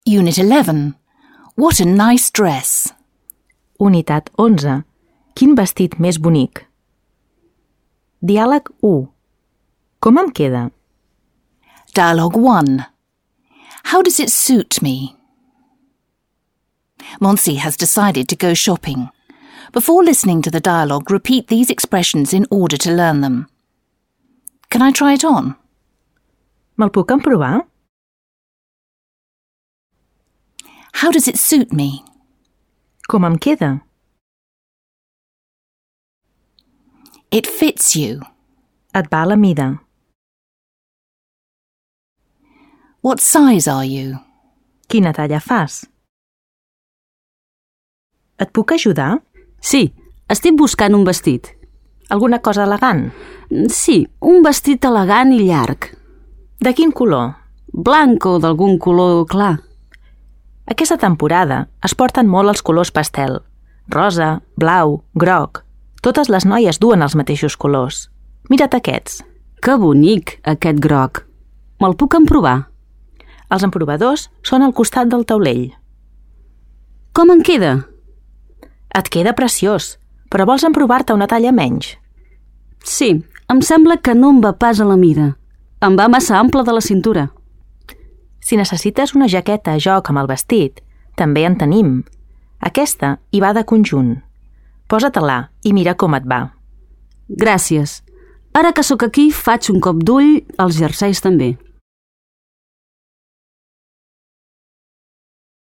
Unit 11. What a nice dress. Unitat 11. Quin vestit més bonic. Diàleg 1. Com em queda? Dialogue 1. How does it suit me? Monsi has decided to go shopping. Before listening to the dialogue, repeat these expressions in order to learn them. Can I try it on? Me'l puc emprovar? How does it suit me? Com em queda? It fits you. Et va a la mida. What size are you? Quina talla fas? Et puc ajudar? Sí, estic buscant un vestit. Alguna cosa elegant? Sí, un vestit elegant i llarg. De quin color? Blanc o d'algun color clar. Aquesta temporada es porten molt els colors pastel. Rosa, blau, groc. Totes les noies duen els mateixos colors. Mira't aquests. Que bonic, aquest groc. Me'l puc emprovar? Els emprovadors són al costat del taulell. Com em queda? Et queda preciós, però vols emprovar-te una talla menys? Sí, em sembla que no em va pas a la mida. Em va massa ample de la cintura. Si necessites una jaqueta a joc amb el vestit, també en tenim. Aquesta hi va de conjunt. Posa-te-la i mira com et va. Gràcies. Ara que sóc aquí, faig un cop d'ull als jerseis també.